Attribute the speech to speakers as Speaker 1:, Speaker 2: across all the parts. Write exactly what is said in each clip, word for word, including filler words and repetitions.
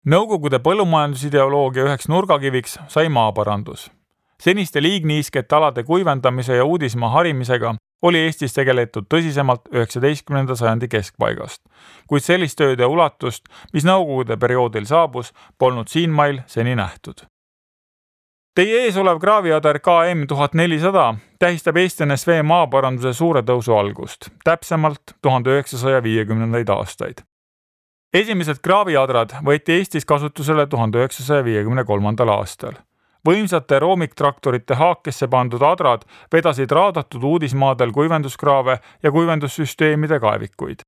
Speaker 1: Nõukogude põllumajandusideoloogia üheks nurgakiviks sai maaparandus. Seniste liigniiskete alade kuivendamise ja uudismaa harimisega oli Eestis tegeletud tõsisemalt üheksateistkümnenda sajandi keskpaigast, kuid sellist tööde ulatust, mis nõukogude perioodil saabus, polnud siinmail seni nähtud. Teie ees olev kraaviader K M tuhat nelisada tähistab Eesti N S V maaparanduse suure tõusu algust, täpsemalt tuhande üheksasaja viiekümnendaid aastaid. Esimesed kraaviadrad võeti Eestis kasutusele tuhande üheksasaja viiekümne kolmandal aastal. Võimsate roomiktraktorite haakesse pandud adrad vedasid raadatud uudismaadel kuivenduskraave ja kuivendussüsteemide kaevikuid.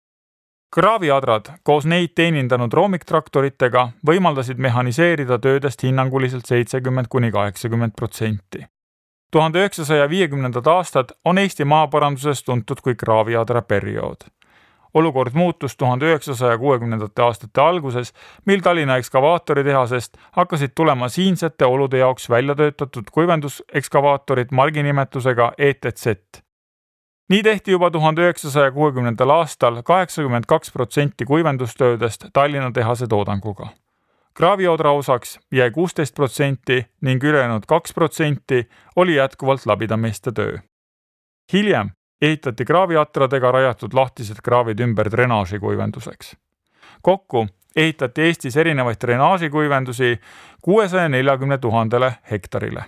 Speaker 1: Kraaviadrad koos neid teenindanud roomiktraktoritega võimaldasid mehaniseerida töödest hinnanguliselt seitsekümmend kuni kaheksakümmend protsenti. tuhande üheksasaja viiekümnendad aastad on Eesti maaparanduses tuntud kui kraaviadra periood. Olukord muutus tuhande üheksasaja kuuekümnendate aastate alguses, mil Tallinna ekskavaatoritehasest hakkasid tulema siinsete olude jaoks välja töötatud kuivendusekskavaatorid marginimetusega E T Z. Nii tehti juba tuhande üheksasaja kuuekümnendal aastal kaheksakümmend kaks protsenti kuivendustöödest Tallinna tehase toodanguga. Kraaviodra osaks jäi kuusteist protsenti ning ülejäänud kaks protsenti oli jätkuvalt labidameeste töö. Hiljem ehitati kraaviatradega rajatud lahtised kraavid ümber drenaaži kuivenduseks. Kokku ehitati Eestis erinevaid drenaaži kuivendusi kuuesaja neljakümne tuhandele hektarile.